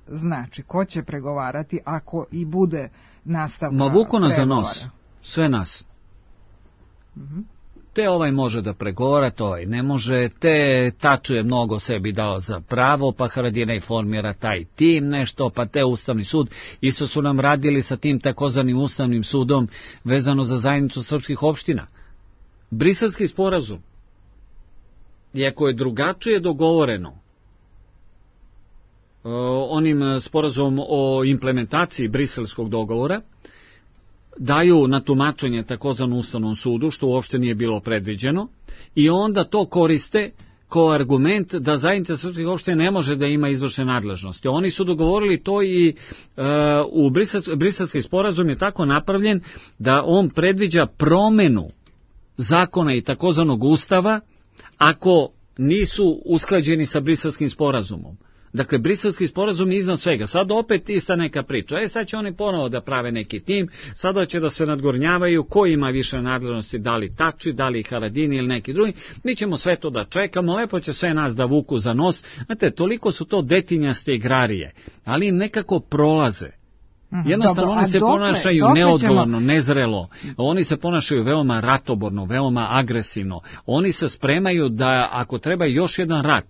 znači? Ko će pregovarati ako i bude nastavka pregovora? Vuku nas za nos. Sve nas. Te ovaj može da pregovara, to ovaj ne može, te Taču je mnogo sebi dao za pravo, pa Haradina i formira taj tim nešto, pa te Ustavni sud. Isto su nam radili sa tim takozvanim Ustavnim sudom vezano za zajednicu srpskih opština. Briselski sporazum, iako je drugačije dogovoreno onim sporazumom o implementaciji briselskog dogovora, daju na tumačenje takozvanom Ustavnom sudu, što uopšte nije bilo predviđeno, i onda to koriste kao argument da zajednica srpskih opština ne može da ima izvršne nadležnosti. Oni su dogovorili to i u Briselski sporazum je tako napravljen da on predviđa promenu zakona i takozvanog ustava ako nisu usklađeni sa Briselskim sporazumom. Dakle, Briselski sporazum je iznad svega. Sad opet ista neka priča. Sad će oni ponovo da prave neki tim, sada će da se nadgornjavaju ko ima više nadležnosti, da li Tači, da li Haradini ili neki drugi. Mi ćemo sve to da čekamo, lepo će sve nas da vuku za nos. Znate, toliko su to detinjaste igrarije, ali im nekako prolaze. Jednostavno oni se ponašaju neodgovorno, nezrelo, oni se ponašaju veoma ratoborno, veoma agresivno. Oni se spremaju da ako treba još jedan rat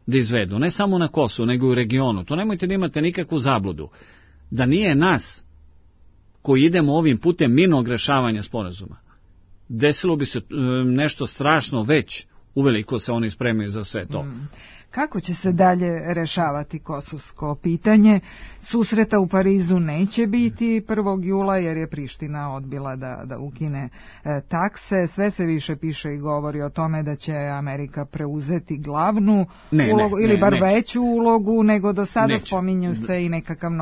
da izvedu, ne samo na Kosovu, nego i u regionu. To nemojte da imate nikakvu zabludu. Da nije nas koji idemo ovim putem mirnog rešavanja sporazuma, desilo bi se nešto strašno već, uveliko se oni spremaju za sve to. Kako će se dalje rešavati kosovsko pitanje? Susreta u Parizu neće biti 1. jula jer je Priština odbila da ukine takse. Sve se više piše i govori o tome da će Amerika preuzeti glavnu ulogu ili bar veću ulogu nego do sada. Spominju se i nekakav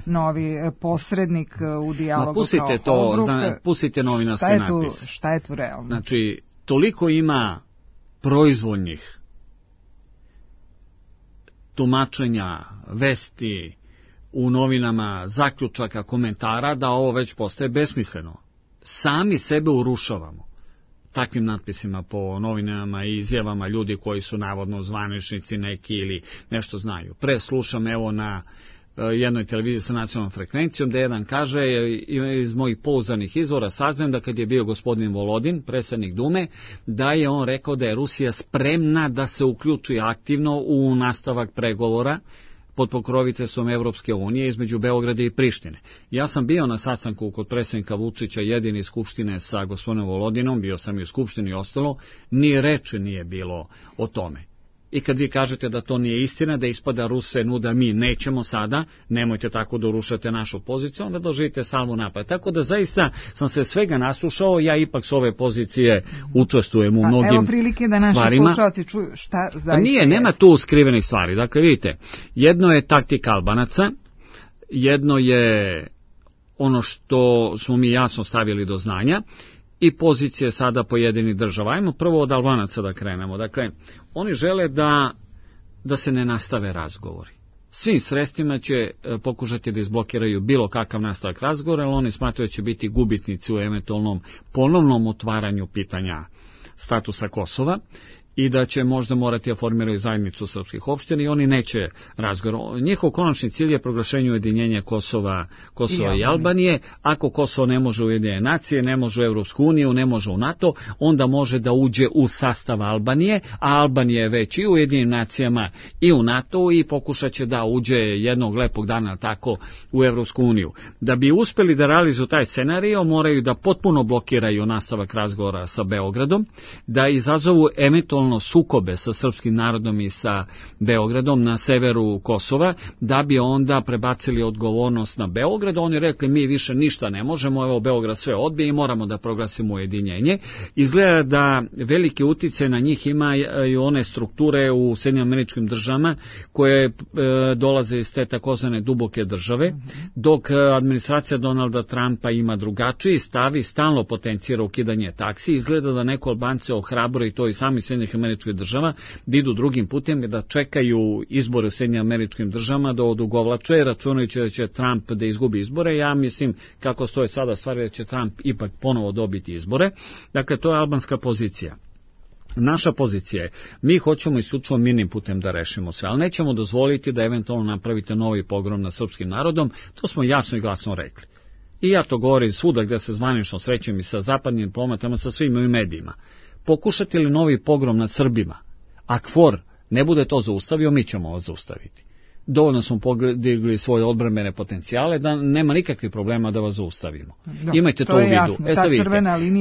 novi posrednik u dijalogu. Pustite to, pustite novinarski natpis. Šta je tu realno? Znači, toliko ima proizvoljnih tumačenja, vesti u novinama, zaključaka, komentara, da ovo već postaje besmisleno. Sami sebe urušavamo takvim natpisima po novinama i izjavama ljudi koji su navodno zvaničnici neki ili nešto znaju. Preslušam evo na jednoj televiziji sa nacionalnom frekvencijom da jedan kaže, iz mojih pouzdanih izvora saznam da kad je bio gospodin Volodin, predsjednik Dume, da je on rekao da je Rusija spremna da se uključi aktivno u nastavak pregovora pod pokroviteljstvom Evropske unije između Beograda i Prištine. Ja sam bio na sastanku kod predsjednika Vučića jedini iz Skupštine sa gospodinom Volodinom, bio sam i u Skupštini i ostalo, ni reči nije bilo o tome. I kad vi kažete da to nije istina, da ispada Ruse nuda mi nećemo sada, nemojte tako da urušate našu poziciju, onda doživite salvu napad. Tako da zaista sam se svega naslušao, ja ipak s ove pozicije učestvujem u mnogim stvarima. Evo prilike da naši slušalci čuju šta zaista nije. Nema tu skrivenih stvari. Dakle, vidite, jedno je taktika Albanaca, jedno je ono što smo mi jasno stavili do znanja, i pozicije sada pojedinih država. Ajmo prvo od Albanaca da krenemo. Dakle, oni žele da se ne nastave razgovori. Svim sredstvima će pokušati da izblokiraju bilo kakav nastavak razgovora, ali oni smatraju da će biti gubitnici u eventualnom ponovnom otvaranju pitanja statusa Kosova i da će možda morati da formiraju zajednicu srpskih opština i oni neće razgovor. Njihov konačni cilj je proglašenje ujedinjenja Kosova i Albanije. Ako Kosovo ne može u Ujedinjene nacije, ne može u Evropsku uniju, ne može u NATO, onda može da uđe u sastav Albanije, a Albanija je već i u Ujedinjenim nacijama i u NATO i pokušat će da uđe jednog lepog dana tako u Evropsku uniju. Da bi uspeli da realizuju taj scenario, moraju da potpuno blokiraju nastavak razgovora sa Beogradom, da izazovu eventualno sukobe sa srpskim narodom i sa Beogradom na severu Kosova, da bi onda prebacili odgovornost na Beograd. Oni rekli mi više ništa ne možemo, evo Beograd sve odbije i moramo da proglasimo ujedinjenje. Izgleda da veliki uticaj na njih imaju one strukture u Sjedinjenim Američkim Državama koje dolaze iz te takozvane duboke države, dok administracija Donalda Trumpa ima drugačiji stav i stalno potencira ukidanje taksi. Izgleda da neko Albance ohrabruje i to i sami Sjedinjenih Američkih Država da idu drugim putem, da čekaju izbore u Sjedinjenim Američkim Državama, da odugovlače, računajući da će Trump da izgubi izbore. Ja mislim, kako stoje sada stvari, da će Trump ipak ponovo dobiti izbore. Dakle, to je albanska pozicija. Naša pozicija je, mi hoćemo isključivo mirnim putem da rešimo sve, ali nećemo dozvoliti da eventualno napravite novi pogrom nad srpskim narodom, to smo jasno i glasno rekli. I ja to govorim svuda gde se zvanično srećem i sa zapadnim diplomatama, sa svim ovim medijima. Pokušati li novi pogrom nad Srbima, a KFOR ne bude to zaustavio, mi ćemo ovo zaustaviti. Dovoljno smo podigli svoje odbrambene potencijale da nema nikakvih problema da vas zaustavimo. Imajte to u vidu.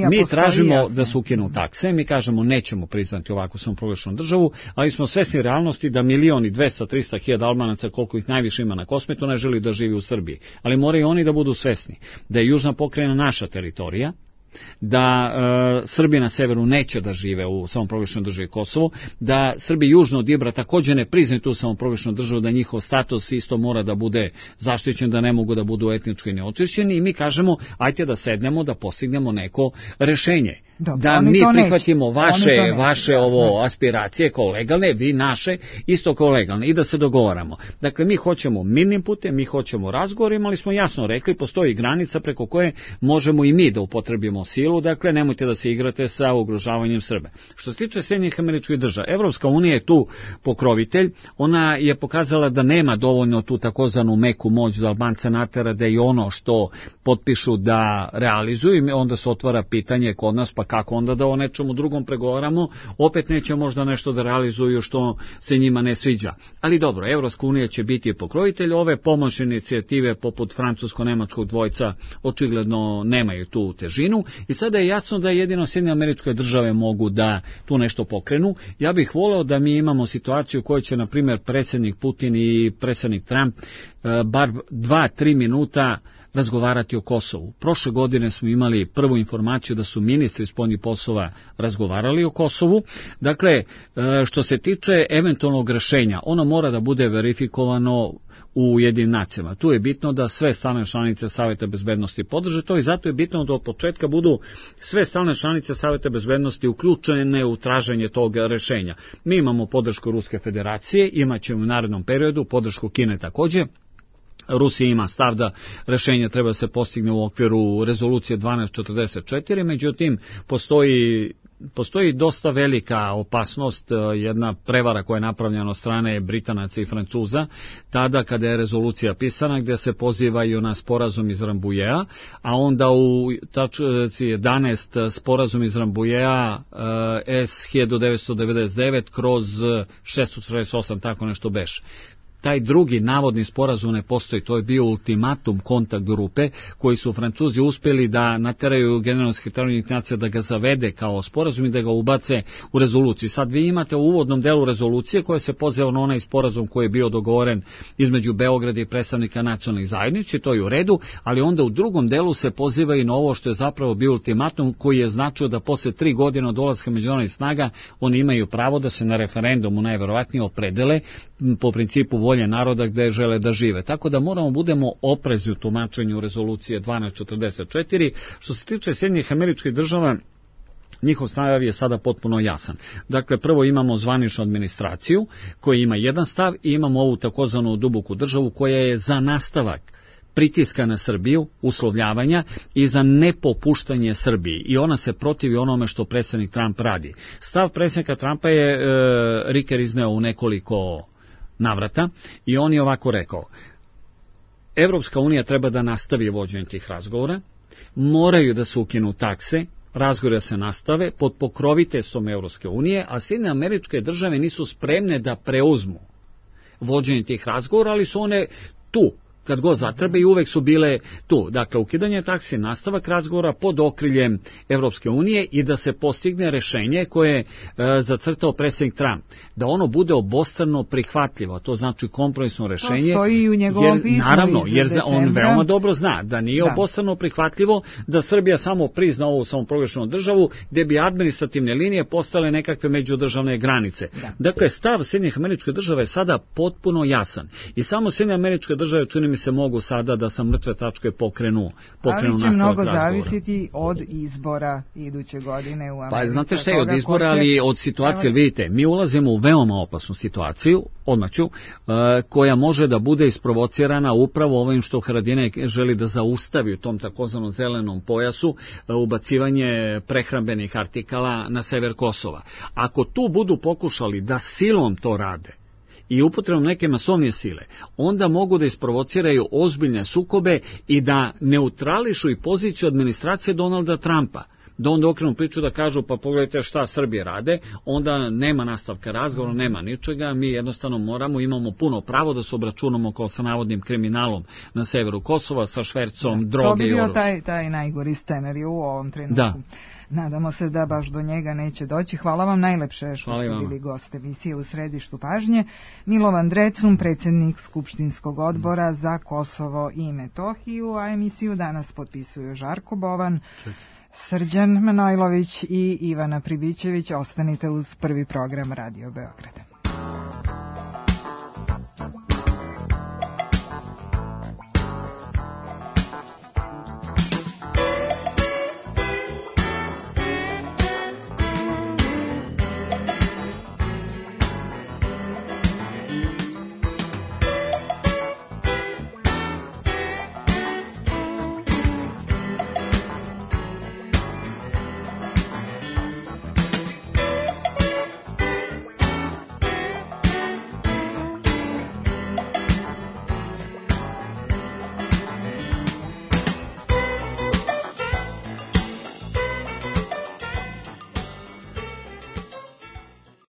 Mi tražimo da se ukinu takse, mi kažemo nećemo priznati ovakvu samoproglašenu državu, ali smo svesni realnosti da 1.200.000-300.000 Albanaca, koliko ih najviše ima na Kosmetu, ne želi da živi u Srbiji. Ali moraju oni da budu svesni da je južna pokrajina naša teritorija da Srbi na severu neće da žive u samoproglašenoj državi Kosovo, da Srbi južno od Ibra također ne priznaju tu samoproglašenu državu, da njihov status isto mora da bude zaštićen, da ne mogu da budu etnički neočišćeni, i mi kažemo ajte da sednemo, da postignemo neko rešenje. Dobro, da mi prihvatimo vaše ovo aspiracije kao legalne, vi naše isto kao legalne, i da se dogovaramo. Dakle, mi hoćemo mirnim putem, mi hoćemo razgovor, imali smo jasno rekli, postoji granica preko koje možemo i mi da upotrebimo silu, dakle, nemojte da se igrate sa ugrožavanjem Srba. Što se tiče Sjedinjenih Američkih Država, Evropska unija je tu pokrovitelj, ona je pokazala da nema dovoljno tu takozvanu meku moć da Albance natera da i ono što potpišu da realizuju, i onda se otvara pitanje kod nas, pa kako onda da o nečemu drugom pregovaramo, opet neće možda nešto da realizuju što se njima ne sviđa. Ali dobro, Evropska unija će biti pokrovitelj, ove pomoćne inicijative poput francusko-nemačkog dvojca očigledno nemaju tu težinu, i sada je jasno da jedino Sjedinjene Američke Države mogu da tu nešto pokrenu. Ja bih voleo da mi imamo situaciju u kojoj će, na primjer, predsjednik Putin i predsjednik Trump bar 2-3 minuta razgovarati o Kosovu. Prošle godine smo imali prvu informaciju da su ministri spoljnih poslova razgovarali o Kosovu. Dakle, što se tiče eventualnog rešenja, ono mora da bude verifikovano u Ujedinjenim nacijama. Tu je bitno da sve stalne članice Saveta bezbednosti podrže to, i zato je bitno da od početka budu sve stalne članice Saveta bezbednosti uključene u traženje tog rešenja. Mi imamo podršku Ruske federacije, imat ćemo u narednom periodu podršku Kine također. Rusija ima stav da rešenje treba da se postigne u okviru rezolucije 1244, međutim postoji dosta velika opasnost, jedna prevara koja je napravljena od strane Britanaca i Francuza, tada kada je rezolucija pisana, gdje se pozivaju na sporazum iz Rambujea, a onda u tačci 11 sporazum iz Rambujea S1999/648, tako nešto beš. Taj drugi navodni sporazum ne postoji, to je bio ultimatum kontakt grupe koji su Francuzi uspjeli da nateraju generalnog sekretara Ujedinjenih nacija da ga zavede kao sporazum i da ga ubace u rezoluciju. Sad vi imate u uvodnom delu rezolucije koja se poziva na onaj sporazum koji je bio dogovoren između Beograda i predstavnika nacionalnih zajednica, to je u redu, ali onda u drugom delu se poziva i na ovo što je zapravo bio ultimatum koji je značio da posle 3 godine od dolaska međunarodnih snaga oni imaju pravo da se na referendumu najverovatnije opredele po principu volje naroda gde žele da žive. Tako da moramo budemo oprezni u tumačenju rezolucije 1244. Što se tiče Sjedinjenih Američkih Država, njihov stav je sada potpuno jasan. Dakle, prvo imamo zvaničnu administraciju koja ima jedan stav i imamo ovu takozvanu duboku državu koja je za nastavak pritiska na Srbiju, uslovljavanja i za nepopuštanje Srbiji. I ona se protivi onome što predsjednik Trump radi. Stav predsjednika Trumpa je Riker izneo u nekoliko navrata i on je ovako rekao: Evropska unija treba da nastavi vođenje tih razgovora, moraju da se ukinu takse, razgovore se nastave pod pokroviteljstvom Evropske unije, a Sjedinjene Američke Države nisu spremne da preuzmu vođenje tih razgovora, ali su one tu kad god zatrebe i uvek su bile tu. Dakle, ukidanje taksi, nastavak razgovora pod okriljem Evropske unije i da se postigne rešenje koje je zacrtao predsjednik Trump. Da ono bude obostrano prihvatljivo, to znači kompromisno rešenje. To stoji u njegovom pismu. Naravno, jer on veoma dobro zna da nije obostrano prihvatljivo da Srbija samo prizna ovu samoproglašenu državu gdje bi administrativne linije postale nekakve međudržavne granice. Dakle, stav Sjedinjenih Američkih Država je sada potpuno jasan. I samo Sjedinjene Američke Države, čini mi se, mogu sada da sa mrtve tačke pokrenu nastavak razgovora. Ali će mnogo zavisiti od izbora iduće godine u Americi. Pa znate šta je od izbora, ali od situacije, vidite, mi ulazimo u veoma opasnu situaciju, odmaću, koja može da bude isprovocirana upravo ovim što Haradinaj želi da zaustavi u tom takozvanom zelenom pojasu, ubacivanje prehrambenih artikala na sever Kosova. Ako tu budu pokušali da silom to rade i upotrebom neke masovnije sile, onda mogu da isprovociraju ozbiljne sukobe i da neutrališu i poziciju administracije Donalda Trumpa. Da onda okrenu priču da kažu pa pogledajte šta Srbije rade, onda nema nastavka razgovora, nema ničega, mi jednostavno imamo puno pravo da se obračunamo kao sa navodnim kriminalom na severu Kosova, sa švercom droge i oružja. To bi bio taj najgori scenarij u ovom trenutku. Da. Nadamo se da baš do njega neće doći. Hvala vam najlepše što ste bili gost emisije U središtu pažnje. Milovan Drecun, predsjednik Skupštinskog odbora za Kosovo i Metohiju, a emisiju danas potpisuju Žarko Bovan, Srđan Manojlović i Ivana Pribićević. Ostanite uz prvi program Radio Beograda.